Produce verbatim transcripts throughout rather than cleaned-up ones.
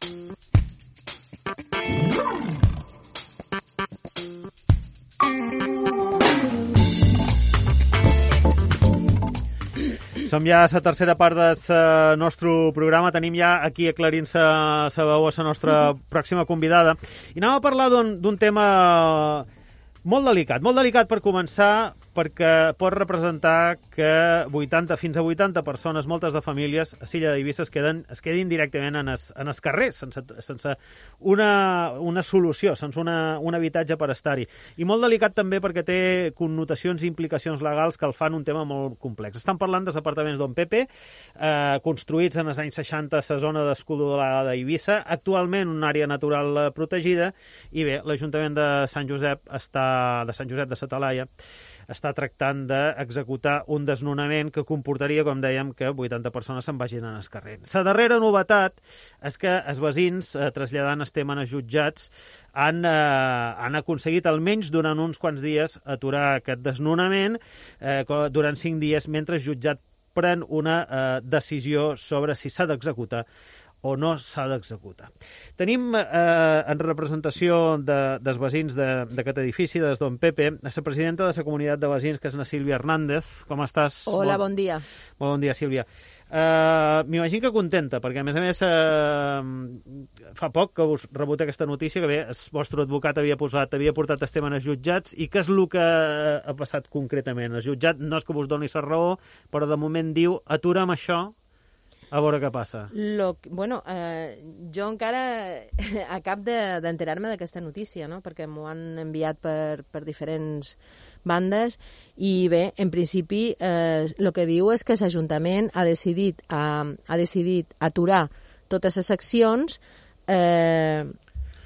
Som ja a la tercera part del nostre programa. Tenim ja aquí aclarint-se la veu a la nostra pròxima convidada. I anem a parlar d'un tema molt delicat. Molt delicat per començar, perquè pot representar que vuitanta fins a vuitanta persones, moltes de famílies, a l'illa d'Eivissa es, queden, es quedin directament en els, en els carrers, sense, sense una, una solució, sense una, un habitatge per estar-hi. I molt delicat també perquè té connotacions i implicacions legals que el fan un tema molt complex. Estan parlant dels apartaments Don Pepe, eh, construïts en els anys seixanta a la zona d'Escudolada d'Eivissa, actualment una àrea natural protegida, i bé, l'Ajuntament de Sant Josep està, de Sant Josep de sa Talaia, està tractant d'executar un desnonament que comportaria, com dèiem, que vuitanta persones se'n vagin en el carrer. La darrera novetat és que els veïns, eh, traslladant el tema als jutjats, han, eh, han aconseguit almenys durant uns quants dies aturar aquest desnonament eh, durant cinc dies mentre el jutjat pren una eh, decisió sobre si s'ha d'executar o no s'ha d'executar. Tenim eh, en representació de, dels veïns d'aquest edifici, des Don Pepe, a la presidenta de la comunitat de veïns, que és la Sílvia Hernández. Com estàs? Hola, bon, bon dia. Bon dia, Sílvia. Uh, M'imagino que contenta, perquè a més a més uh, fa poc que us rebut aquesta notícia que bé, el vostre advocat havia posat, havia portat el tema als jutjats, i què és el que ha passat concretament? El jutjat no és que vos doni la raó, però de moment diu, atura'm això, a veure què passa. Lo, bueno, eh, jo encara acab d'enterar-me de, d'aquesta notícia, no? Perquè m'ho han enviat per, per diferents bandes, i bé, en principi, el eh, que diu és que l'Ajuntament ha decidit, ha, ha decidit aturar totes les accions eh,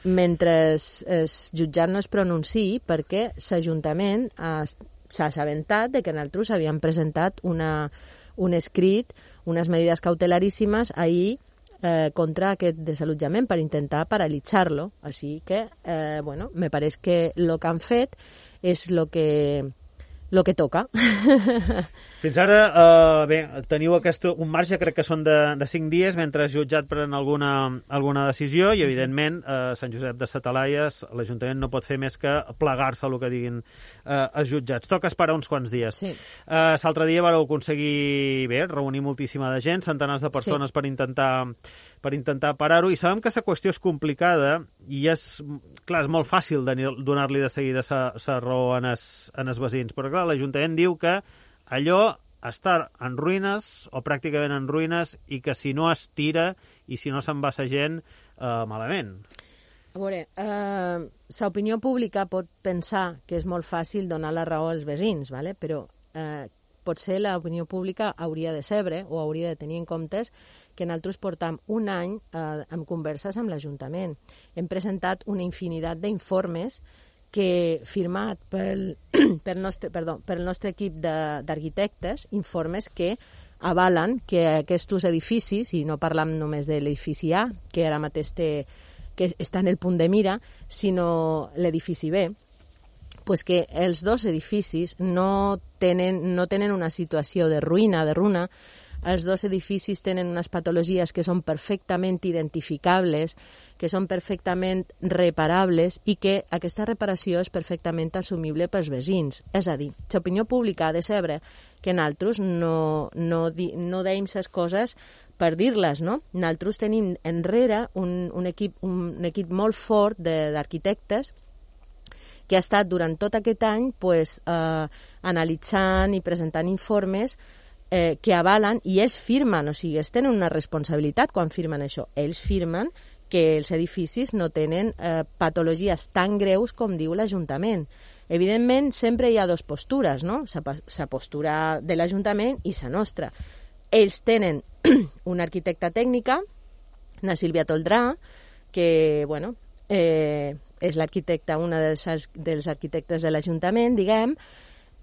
mentre el jutjat no es pronunciï, perquè l'Ajuntament s'ha assabentat de que nosaltres havíem presentat una, un escrit, unes medidas cautelaríssimes ahir eh, contra aquest desallotjament per intentar paralitzar-lo. Així que, eh, bueno, me pareix que el que han fet és el que, lo que toca. Fins ara, eh, bé, teniu aquest, un marge, crec que són de, de cinc dies, mentre el jutjat pren alguna, alguna decisió, i evidentment eh, Sant Josep de sa Talaia, l'Ajuntament no pot fer més que plegar-se a el que diguin eh, els jutjats. Toca esperar uns quants dies. Sí. Eh, L'altre dia vareu aconseguir, bé, reunir moltíssima de gent, centenars de persones, sí, per intentar per intentar parar-ho, i sabem que la qüestió és complicada, i és, clar, és molt fàcil donar-li de seguida la raó en els, en els veïns, però clar, l'Ajuntament diu que allò està en ruïnes, o pràcticament en ruïnes, i que si no es tira i si no se'n va la gent, eh, malament. A veure, eh, l'opinió pública pot pensar que és molt fàcil donar la raó als veïns, ¿vale? Però eh, potser l'opinió pública hauria de saber o hauria de tenir en compte que nosaltres portam un any eh, amb converses amb l'Ajuntament. Hem presentat una infinitat d'informes que, firmat pel, pel, nostre, perdó, pel nostre equip d'arquitectes, informes que avalen que aquests edificis, i no parlam només de l'edifici A, que ara mateix té, que està en el punt de mira, sinó l'edifici B, pues que els dos edificis no tenen, no tenen una situació de ruïna, de runa. Els dos edificis tenen unes patologies que són perfectament identificables, que són perfectament reparables, i que aquesta reparació és perfectament assumible pels veïns. És a dir, l'opinió pública ha de saber que nosaltres no, no, di, no deim les coses per dir-les, no? Nosaltres tenim enrere un, un, equip, un equip molt fort d'arquitectes que ha estat durant tot aquest any pues, eh, analitzant i presentant informes eh, que avalen, i ells firmen, o sigui, ells tenen una responsabilitat quan firmen això. Ells firmen que els edificis no tenen eh, patologies tan greus com diu l'Ajuntament. Evidentment, sempre hi ha dues postures, no? La postura de l'Ajuntament i la nostra. Ells tenen una arquitecta tècnica, la Sílvia Toldrà, que, bueno, eh, és l'arquitecta, una dels, dels arquitectes de l'Ajuntament, diguem,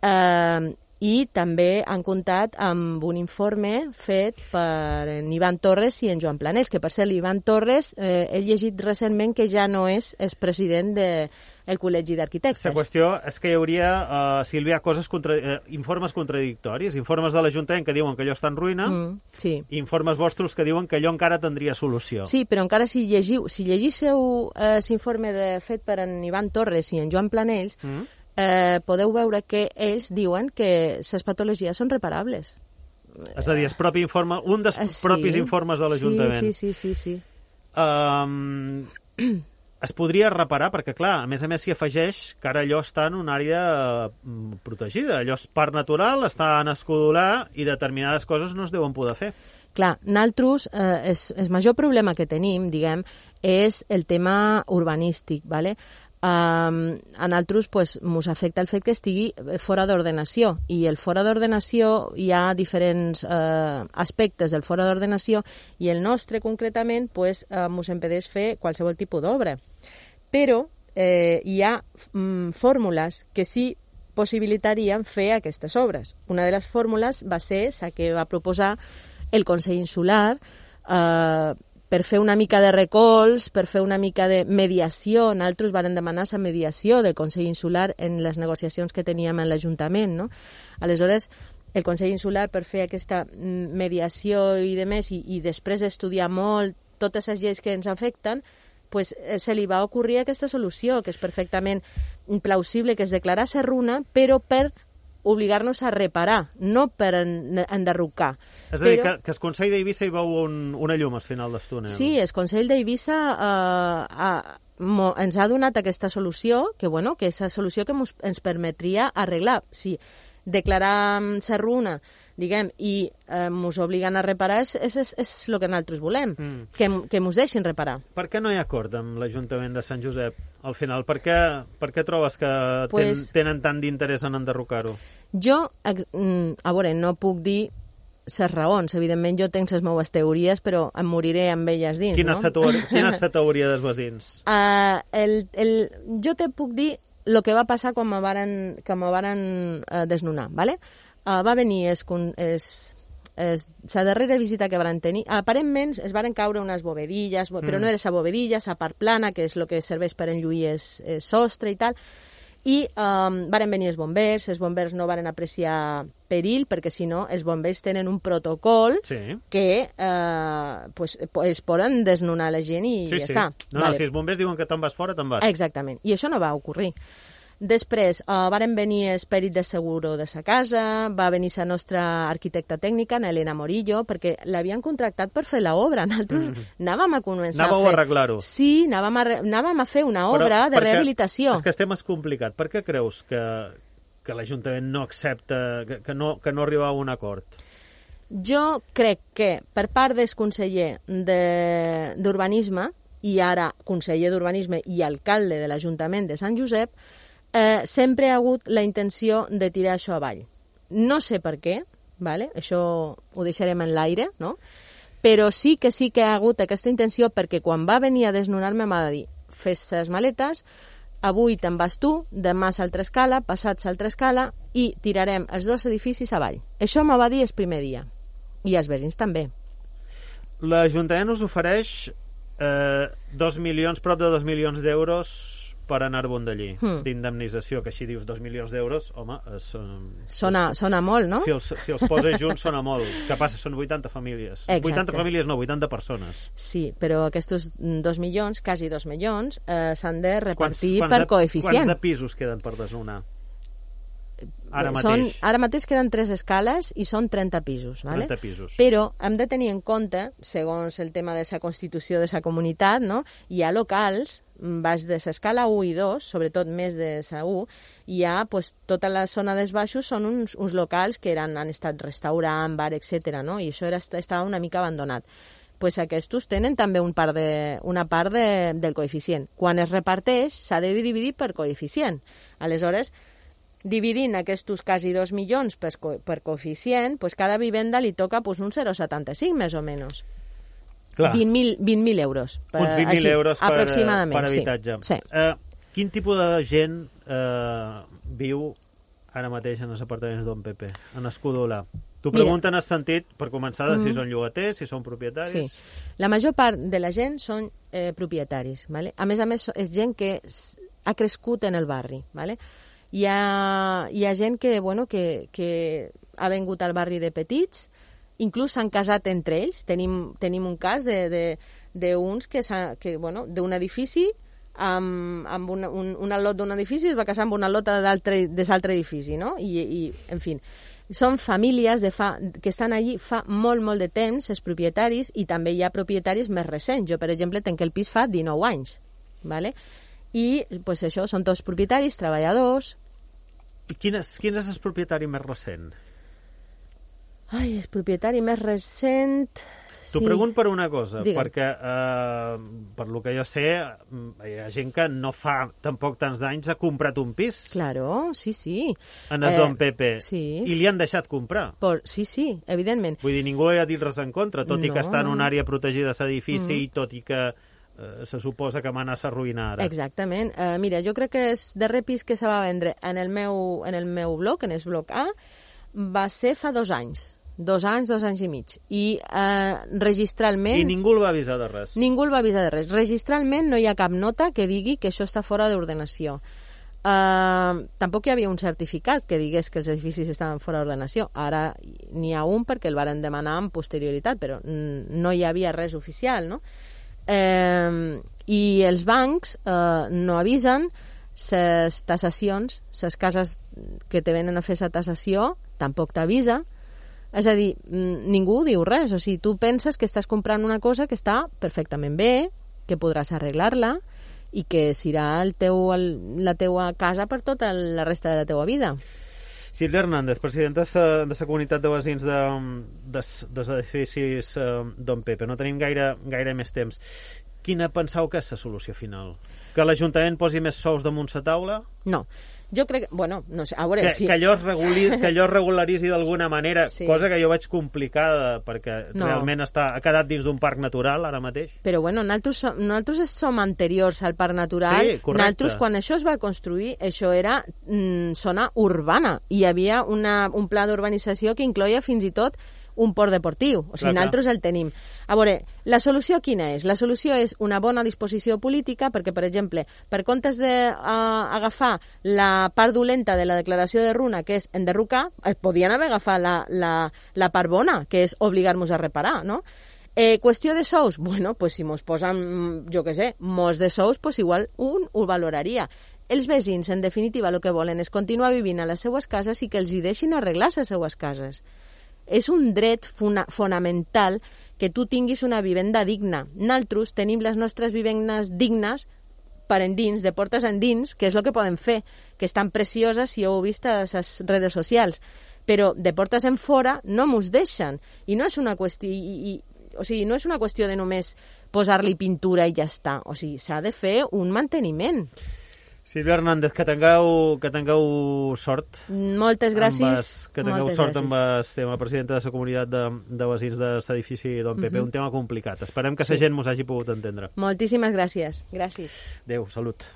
eh, i també han comptat amb un informe fet per en Ivan Torres i en Joan Planés, que per ser l'Ivan Torres eh, he llegit recentment que ja no és, és president del de, Col·legi d'Arquitectes. La qüestió és que hi hauria, uh, Sílvia, coses contra, uh, informes contradictoris, informes de l'Ajuntament que diuen que allò està en ruïna, mm, sí. i informes vostres que diuen que allò encara tindria solució. Sí, però encara si llegiu, si llegísseu eh, l'informe fet per en Ivan Torres i en Joan Planells, mm. Eh, podeu veure que ells diuen que les patologies són reparables. És a dir, el propi informe, un dels eh, sí, propis informes de l'Ajuntament. Sí, sí, sí, sí, sí. Um, es podria reparar, perquè, clar, a més a més s'hi afegeix que ara allò està en una àrea uh, protegida. Allò és parc natural, està en escudolar i determinades coses no es deuen poder fer. Clar, nosaltres, eh, el major problema que tenim, diguem, és el tema urbanístic, ¿vale? Um, a nosaltres pues, ens afecta el fet que estigui fora d'ordenació, i el fora d'ordenació hi ha diferents uh, aspectes del fora d'ordenació, i el nostre concretament pues, uh, ens impedeix fer qualsevol tipus d'obra. Però eh, hi ha mm, fórmules que sí possibilitarien fer aquestes obres. Una de les fórmules va ser la que va proposar el Consell Insular, eh, per fer una mica de recolz, per fer una mica de mediació. Nosaltres vàrem demanar la mediació del Consell Insular en les negociacions que teníem en l'Ajuntament, no? Aleshores, el Consell Insular, per fer aquesta mediació i de més, i, i després d'estudiar molt totes les lleis que ens afecten, pues, se li va ocorrir aquesta solució, que és perfectament plausible, que es declarar ser runa, però per obligar-nos a reparar, no per en, enderrocar. És a dir, però... que, que el Consell d'Eivissa hi veu un, una llum al final del túnel. Sí, el Consell d'Eivissa eh, ha, mo, ens ha donat aquesta solució, que, bueno, que és la solució que mos, ens permetria arreglar. Si declarar ser runa, diguem, i eh, mos obliguen a reparar, és, és, és, és el que nosaltres volem, mm. que, que mos deixin reparar. Per què no hi ha acord amb l'Ajuntament de Sant Josep al final? Per què, per què trobes que pues, ten, tenen tant d'interès en enderrocar-ho? Jo, a veure, no puc dir les raons. Evidentment, jo tinc les meves teories, però em moriré amb elles dins, quina no? Teoria, quina és la teoria dels veïns? Uh, el, el, jo te puc dir el que va passar quan me varen, que me varen uh, desnonar, ¿vale? Uh, va venir es, es, es, la darrera visita que van tenir, aparentment es varen caure unes bovedilles, mm. però no era la bovedilla, la part plana, que és el que serveix per enlluir el sostre i tal, i um, varen venir els bombers, els bombers no varen apreciar perill, perquè si no, els bombers tenen un protocol sí. que eh, pues, es poden desnonar la gent i sí, ja sí. està. No, vale. No, si els bombers diuen que te'n vas fora, te'n vas. Exactament, i això no va ocorrir. Després, uh, varen venir els pèrits de seguro de sa casa, va venir la nostra arquitecta tècnica, Elena Morillo, perquè l'havien contractat per fer l'obra. Nosaltres mm. anàvem a començar Anàveu a fer... a arreglar-ho. Sí, anàvem a, re... anàvem a fer una obra Però, de rehabilitació. És que el tema és complicat. Per què creus que, que l'Ajuntament no accepta, que, que, no, que no arriba a un acord? Jo crec que per part del conseller d'Urbanisme, i ara conseller d'Urbanisme i alcalde de l'Ajuntament de Sant Josep, Eh, sempre ha hagut la intenció de tirar això avall. No sé per què, vale? Això ho deixarem en l'aire, no? Però sí que sí que ha hagut aquesta intenció, perquè quan va venir a desnonar-me m'ha de dir, fes les maletes, avui te'n vas tu, demà s'altra escala, passat s'altra escala, i tirarem els dos edificis avall. Això me va dir el primer dia. I els veïns també. L'Ajuntament us ofereix eh, dos milions, prop de dos milions d'euros per anar-vos d'allí, hmm. d'indemnització, que així dius dos milions d'euros, home... És, um, sona, sona molt, no? Si els, si els poses junts sona molt. Que passa? Són vuitanta famílies. Exacte. vuitanta famílies no, vuitanta persones. Sí, però aquests dos milions, quasi dos milions, eh, s'han de repartir quants, quants per de, coeficient. Quants de pisos queden per desnonar? Ara mateix. Són, ara mateix queden tres escales i són trenta pisos, ¿vale? trenta pisos. Però hem de tenir en compte, segons el tema de la constitució de la comunitat, no? Hi ha locals, baix de l'escala u i dos, sobretot més de la u, hi ha pues, tota la zona dels baixos són uns, uns locals que eren, han estat restaurant, bar, etcètera, no? I això era, estava una mica abandonat. Pues aquests tenen també un part de, una part de, del coeficient. Quan es reparteix, s'ha de dividir per coeficient. Aleshores, dividint aquests quasi dos milions per, per coeficient, pues cada vivenda li toca pues, un zero coma setanta-cinc, més o menys. vint mil euros. Per, uns vint mil euros per, aproximadament, per habitatge. Sí. Sí. Uh, quin tipus de gent uh, viu ara mateix en els apartaments d'On Pepe, en Escudola? T'ho pregunten en el sentit, per començar, de si són llogaters, si són propietaris... Sí, la major part de la gent són eh, propietaris. ¿Vale? A més a més, és gent que ha crescut en el barri. ¿Vale? Hi ha, hi ha gent que, bueno, que, que ha vengut al barri de petits, inclús s'han casat entre ells. Tenim, tenim un cas d'uns que, que bueno, d'un edifici amb, amb una, un, una lot d'un edifici es va casar amb una lota de l'altre edifici, no? I, i, en fi, són famílies de fa, que estan allí fa molt, molt de temps, els propietaris, i també hi ha propietaris més recents. Jo, per exemple, tenc el pis fa dinou anys, ¿vale? I pues, això, són tots propietaris, treballadors... I quin és, quin és el propietari més recent? Ai, el propietari més recent... T'ho sí. pregunto per una cosa, Digue'm. perquè eh, per lo que jo sé hi ha gent que no fa tampoc tants d'anys ha comprat un pis. Claro, sí, sí. En el eh, Don Pepe. Sí. I li han deixat comprar. Por, sí, sí, evidentment. Vull dir, ningú hi ha dit res en contra, tot no. i que està en una àrea protegida de l'edifici mm. i tot i que eh, se suposa que m'ha anat a arruïnar ara. Exactament. Uh, mira, jo crec que el darrer pis que se va vendre en el meu, en el meu bloc, en el bloc A, va ser fa dos anys. Dos anys, dos anys i mig. I eh, registralment... I ningú el va avisar de res. Ningú el va avisar de res. Registralment no hi ha cap nota que digui que això està fora d'ordenació. Eh, tampoc hi havia un certificat que digués que els edificis estaven fora d'ordenació. Ara n'hi ha un perquè el varen demanar amb posterioritat, però no hi havia res oficial, no? Eh, I els bancs eh, no avisen les tassacions, les cases que te venen a fer la tassació tampoc t'avisa. És a dir, ningú diu res. O sigui, tu penses que estàs comprant una cosa que està perfectament bé, que podràs arreglar-la i que serà el teu, el, la teua casa per tota la resta de la teua vida. Sílvia Hernández, presidenta de la comunitat de veïns de, de, dels edificis Don Pepe. No tenim gaire, gaire més temps. Quina penseu que és la solució final? Que l'Ajuntament posi més sous damunt la taula? No. Jo crec que, bueno, no sé, a veure... Que, si... que, allò es reguli, que allò es regularitzi d'alguna manera, sí. Cosa que jo veig complicada, perquè no. realment està, ha quedat dins d'un parc natural ara mateix. Però bueno, nosaltres, som, nosaltres som anteriors al parc natural. Sí, correcte. Nosaltres, quan això es va construir, això era mm, zona urbana. Hi havia una, un pla d'urbanització que incloïa fins i tot un port deportiu. O sigui, clar, nosaltres el tenim. A veure, la solució quina és? La solució és una bona disposició política perquè, per exemple, per comptes d'agafar uh, la part dolenta de la declaració de Runa, que és enderrocar, es podien haver agafat la, la, la part bona, que és obligar-nos a reparar, no? Eh, qüestió de sous? Bueno, pues si mos posen, jo què sé, molts de sous, pues igual un ho valoraria. Els veïns, en definitiva, el que volen és continuar vivint a les seues cases i que els hi deixin arreglar les seues cases. És un dret fona fonamental que tu tinguis una vivenda digna. Nosaltres tenim les nostres vivendes dignes per endins, de portes endins, que és el que podem fer, que estan precioses, si heu vist a les redes socials. Però de portes en fora no mos deixen. I no és una qüestió... I, i, o sigui, no és una qüestió de només posar-li pintura i ja està. O sigui, s'ha de fer un manteniment. Sílvia Hernández, que tingueu, que tingueu sort. Moltes gràcies. Es, que tingueu Moltes sort gràcies. amb el tema, presidenta de la comunitat de, de veïns de l'edifici Don Pepe. Uh-huh. Un tema complicat. Esperem que la sí. gent mos hagi pogut entendre. Moltíssimes gràcies. Gràcies. Adéu, salut.